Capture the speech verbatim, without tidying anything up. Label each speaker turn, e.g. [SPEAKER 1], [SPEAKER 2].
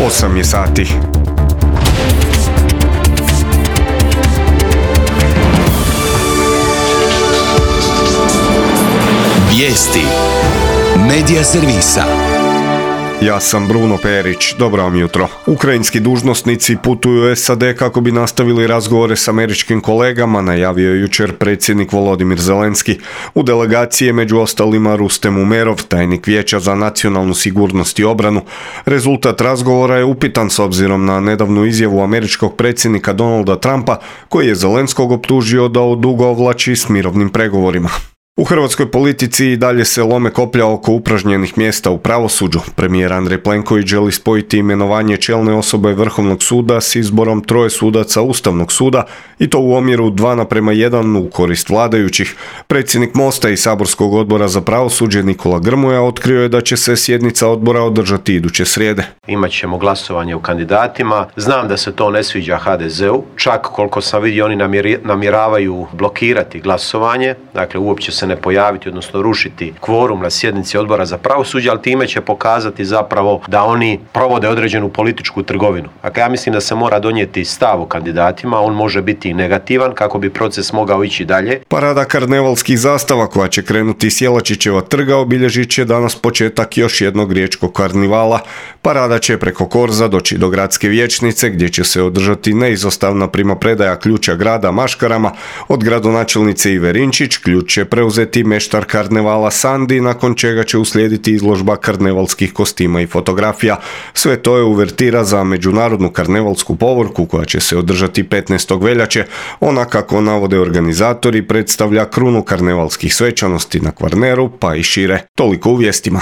[SPEAKER 1] osam je sati.
[SPEAKER 2] Vijesti Medija servisa.
[SPEAKER 1] Ja sam Bruno Perić, dobro vam jutro. Ukrajinski dužnosnici putuju u S A D kako bi nastavili razgovore s američkim kolegama, najavio je jučer predsjednik Volodimir Zelenski. U delegaciji je među ostalima Rustem Umerov, tajnik Vijeća za nacionalnu sigurnost i obranu. Rezultat razgovora je upitan s obzirom na nedavnu izjavu američkog predsjednika Donalda Trumpa, koji je Zelenskog optužio da odugovlači s mirovnim pregovorima. U hrvatskoj politici i dalje se lome koplja oko upražnjenih mjesta u pravosuđu. Premijer Andrej Plenković želi spojiti imenovanje čelne osobe Vrhovnog suda s izborom troje sudaca Ustavnog suda i to u omjeru dva naprema jedan u korist vladajućih. Predsjednik Mosta i saborskog odbora za pravosuđe Nikola Grmoja otkrio je da će se sjednica odbora održati iduće srijede.
[SPEAKER 3] Imat ćemo glasovanje o kandidatima. Znam da se to ne sviđa H D Z-u. Čak koliko sam vidio oni namjeravaju blokirati glasovanje. Dakle, uopće se ne pojaviti, odnosno rušiti kvorum na sjednici odbora za pravosuđe, ali time će pokazati zapravo da oni provode određenu političku trgovinu. Dakle, ja mislim da se mora donijeti stav o kandidatima, on može biti negativan kako bi proces mogao ići dalje.
[SPEAKER 1] Parada karnevalskih zastava koja će krenuti s Jelačićeva trga obilježit će danas početak još jednog riječkog karnivala. Parada će preko Korza doći do gradske vijećnice gdje će se održati neizostavna primopredaja ključa grada maškarama. Od gradonačelnice Ive Rinčić ključ će preuzeti meštar karnevala Sandi, nakon čega će uslijediti izložba karnevalskih kostima i fotografija. Sve to je uvertira za međunarodnu karnevalsku povorku koja će se održati petnaestog veljače. Ona, kako navode organizatori, predstavlja krunu karnevalskih svečanosti na Kvarneru pa i šire. Toliko u vijestima.